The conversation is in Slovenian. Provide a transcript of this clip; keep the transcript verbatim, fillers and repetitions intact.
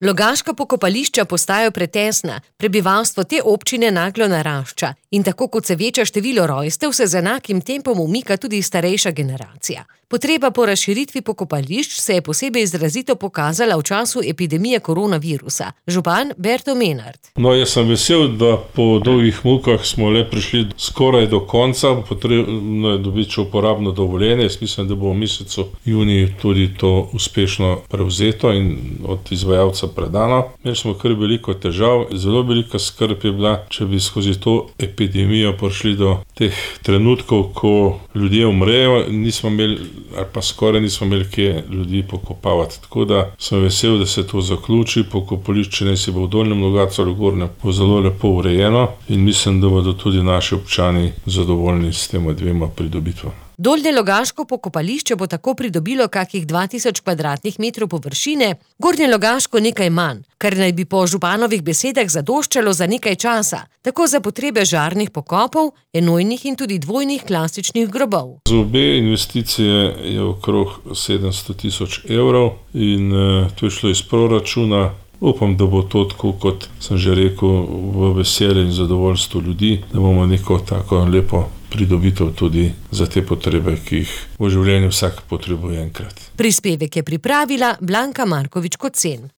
Logaška pokopališča postajajo pretesna, prebivalstvo te občine naglo narašča in tako kot se veča število rojstev, se z enakim tempom umika tudi starejša generacija. Potreba po razširitvi pokopališč se je posebej izrazito pokazala v času epidemije koronavirusa. Župan Berto Menard. No, jaz sem vesel, da po dolgih mukah smo le prišli skoraj do konca. Potrebno je dobiti uporabno dovoljenje. Jaz mislim, da bo v mesecu juniju tudi to uspešno prevzeto in od izvajalca predano. Imeli smo kar veliko težav. Zelo velika skrb je bila, če bi skozi to epidemijo prišli do teh trenutkov, ko ljudje umrejo, nismo imeli ali pa skoraj nismo imeli kje ljudi pokopavati. Tako da sem vesel, da se to zaključi. Pokopališče naj si bo v Dolnjem Logatcu ali Gornjem bo zelo lepo urejeno in mislim, da bodo tudi naši občani zadovoljni s tema dvema pridobitvama. Dolnje Logaško pokopališče bo tako pridobilo kakih dva tisoč kvadratnih metrov površine, Gornje Logaško nekaj manj, kar naj bi po županovih besedah zadoščalo za nekaj časa, tako za potrebe žarnih pokopov, enojnih in tudi dvojnih klasičnih grobov. Za obe investicije je okrog sedemsto tisoč evrov in uh, to je šlo iz proračuna. Upam, da bo to tako, kot sem že rekel, v veselje in zadovoljstvo ljudi, da bomo neko tako lepo pridobitev tudi za te potrebe, ki jih v življenju vsak potrebuje enkrat. Prispevek je pripravila Blanka Markovič Kocen.